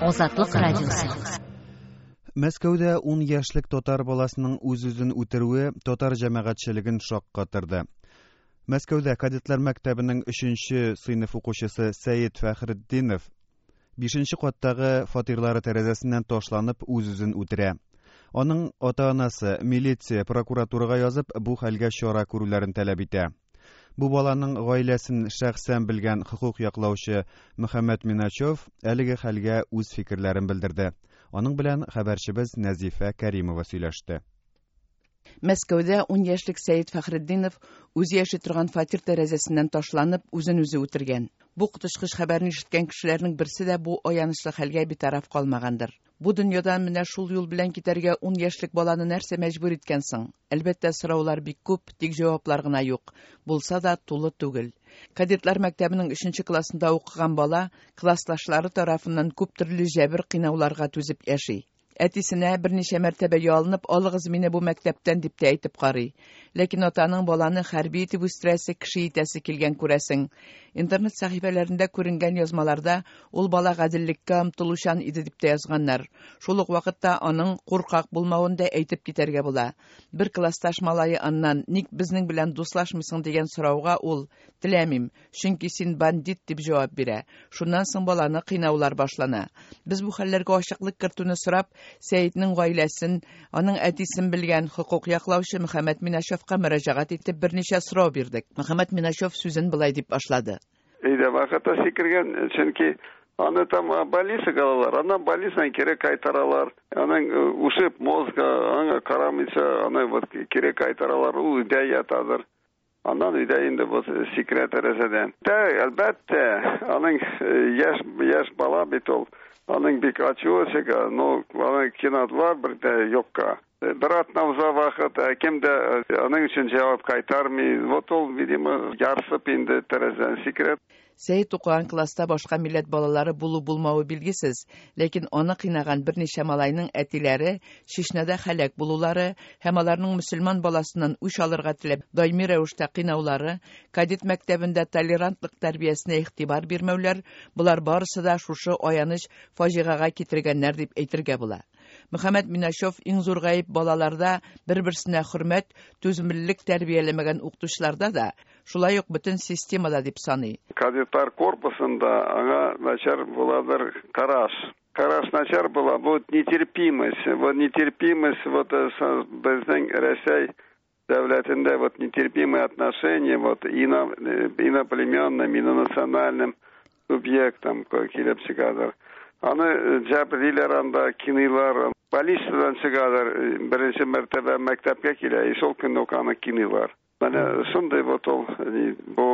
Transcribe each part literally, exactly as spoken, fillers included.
Азатлык радиосы. Мәскәүдә ун яшьлек татар баласының үз-үзен үтерүе татар җәмәгатьчелеген шаккатырды. Мәскәүдә кадетлар мәктәбенең өченче сыйныф укучысы Сәет Фәхретдинов бишенче каттагы фатирлары тәрәзәсеннән ташланып үз-үзен үтерә. Аның ата-анасы милиция, прокуратурага язып, бу хәлгә чара күрүләрен таләп итә. Бу баланың гаиләсен шәхсән белгән хокук яклаучы Мөхәммәт Миначев әлеге хәлгә үз фикерләрен белдерде. Аның белән хәбәрчебез Нәзифә Кәримова сөйләште. Мәскәүдә ун яшьлек Сәет Фәхретдинов үзе яши торган фатир тәрәзәсеннән ташланып, үзен үзе үтергән. Бу коточкыч хәбәрне ишеткән кешеләрнең берсе дә бу аянычлы хәлгә битараф калмагандыр. Бу дөньядан менә шул юл белән китәргә ун яшьлек баланы нәрсә мәҗбүр иткән соң? Әлбәттә, сораулар бик күп, тик җаваплар гына юк. Булса да тулы түгел. Кадетлар мәктәбенең өченче классында укыган бала классташлары тарафыннан күп төрле җәбер кыйнауларга түзеп яши. Әтисенә берничә мәртәбә ялынып, алыгыз мине бу мәктәптән дип тә әйтеп карый. Ләкин атаның баланы хәрби итеп үстерәсе, кеше итәсе килгән күрәсең. Интернет сәхифәләрендә күренгән язмаларда ул бала гаделлеккә омтылучан иде дип тә язганнар. Шул ук вакытта аның куркак булмавын да әйтеп китәргә була. Бер классташ малае аннан ник безнең белән дуслашмыйсың дигән сорауга ул теләмим, чөнки син бандит дип җавап бирә. Шуннан соң баланы кыйнаулар башлана. Без бу хәлләргә ачыклык кертүне сорап, Сәетнең гаиләсен, аның әтисен белгән хокук яклаучы Мөхәммәт Миначевка мөрәҗәгать итеп берничә сорау бирдек. Мөхәммәт Миначев сүзен былай дип башлады. Өйдә вакытта сикергән, чөнки аны там больницага алалар, аннан больницадан кире кайтаралар. Аның ушиб мозга, аңа карамыйча, аны вот кире кайтаралар, ул өйдә ятадыр. Аннан өйдә инде вот сикерә тәрәзәдән. Тә, әлбәттә, аның яшь, яшь бала бит ул. Аның бик ачуы чыга, но аны кинадылар бер дә юкка. Бер атна уза вакыт, кем дә аның өчен җавап кайтармый. Вот ул, видимо, ярсып инде тәрәзәдән сикереп. Сәет укыган класста башка милләт балалары булу-булмавы билгесез, ләкин аны кыйнаган берничә малайның әтиләре Чечняда һәлак булулары һәм аларның мөселман баласыннан үч алырга теләп даими рәвештә кыйнаулары, кадет мәктәбендә толерантлык тәрбиясенә игътибар бирмәүләр, болар барысы да шушы аяныч фаҗигагә китергәннәр дип әйтергә була. Мөхәммәт Миначев иң зур гаеп балаларда бер-берсенә хөрмәт, түземлелек тәрбияләмәгән укытучыларда да, шулай ук бөтен системада дип саный. Кадетлар корпусында аңа начар буладыр караш. Караш начар була, вот нетерпимость, вот нетерпимость, вот безнең Рәсәй дәүләтендә вот нетерпимые отношения вот ино, иноплеменным, инонациональным субъектам килеп чыгадыр. Аны җәберлиләр анда, киныйлар. Полициядән чыгадыр, беренче мәртәбә мәктәпкә килә, и шул көнне үк аны киныйлар. Менә шундый вот ул, бу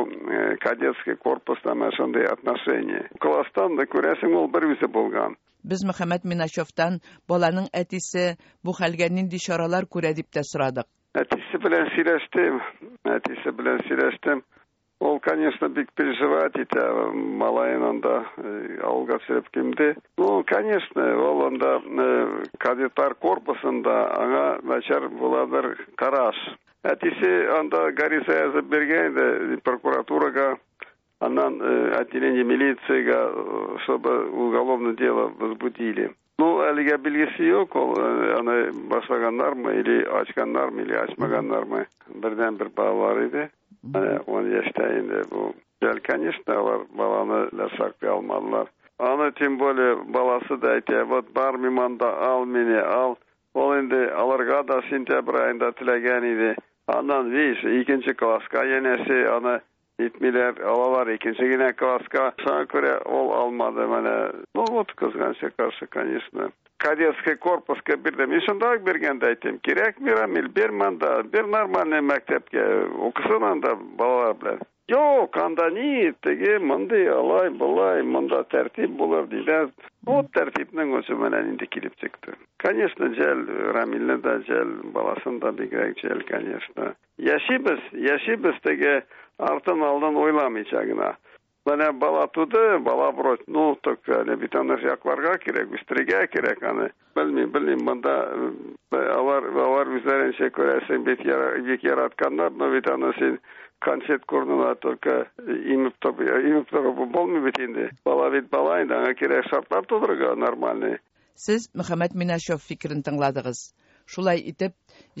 кадетский корпуста менә шундый отношение. Класстан да күрәсең, ул бер үзе булган. Без Мөхәммәт Миначевтан баланың әтисе бу хәлгә нинди чаралар күрә дип тә сорадык. Әтисе белән сөйләштем, әтисе белән сөйләштем. Ул, конечно, бик переживать итә, малаен анда авылга төшереп килде. Ну, конечно, ул анда кадетлар корпусында аңа начар буладыр караш. Әтисе анда гариза язып биргән иде прокуратурага, аннан отделение милициягә, чтобы уголовное дело возбудили. Ну, әлегә билгесе юк, ул аны башлаганнармы, или ачканнармы, или ачмаганнармы. Бердән бер балалар иде. Менә ун яшьтә инде бу. Жәл, конечно, алар баланы да саклый алмадылар. Аны тем более баласы да әйтә, вот бармыйм анда, ал мине, ал. Ул инде аларга да сентябрь аенда теләгән иде. Аннан, видишь, икенче класска янәсе аны итмиләр, алалар икенче генә класска. Шуңа күрә ул алмады менә. Ну вот, кызганычка каршы, конечно. Кадетский корпуска бирдем. Мин шунда ук биргәндә әйтәм, кирәкми, Рамил, бир монда, бир нормальный мәктәпкә, укысын анда балалар белән. Юк, анда ни, теге, мондый, алай, болай, монда тәртип булыр диләр. Вот тәртипнең үзе менә нинди килеп чыкты. Конечно, жәл, Рамилне дә жәл, баласын да бигрәк жәл, конечно. Яшибез, яшибез теге артын алдан уйламыйча гына. Менә бала туды, бала вроде, ну, так әле бит аны якларга кирәк, үстерергә кирәк аны. Белмим, белмим, монда алар, алар үзләренчә күрәсең, бит бик яратканнар, но бит аны син Конфет урынына только имеп торып, имеп торып булмый бит инде. Бала бит бала инде, аңа кирәк шартлар тудырырга нормальный. Сез Мөхәммәт Минашев фикерен тыңладыгыз. Шулай итеп,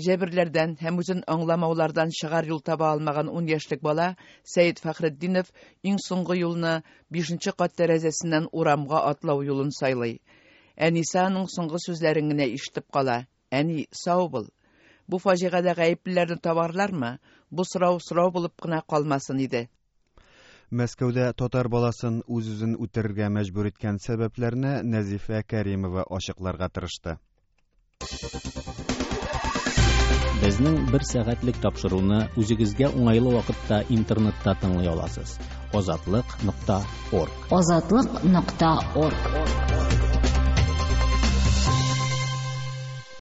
җәберләрдән һәм үзен аңламаулардан чыгар юл таба алмаган ун яшьлек бала Сәет Фәхретдинов иң соңгы юлны бишенче кат тәрәзәсеннән урамга атлау юлын сайлый. Әнисе аның соңгы сүзләрен генә ишетеп кала. Әни, сау бул. Бу фаҗигадә гаеплеләрне табарлармы? Бу сорау сорау булып кына калмасын иде. Мәскәүдә татар баласын үз-үзен үтерергә мәҗбүр иткән сәбәпләрне Нәзифә Кәримова ачыкларга тырышты. Безнең бер сәгатьлек тапшыруны үзегезгә уңайлы вакытта интернетта тыңлый аласыз. Азатлык нокта орг. Азатлык нокта орг.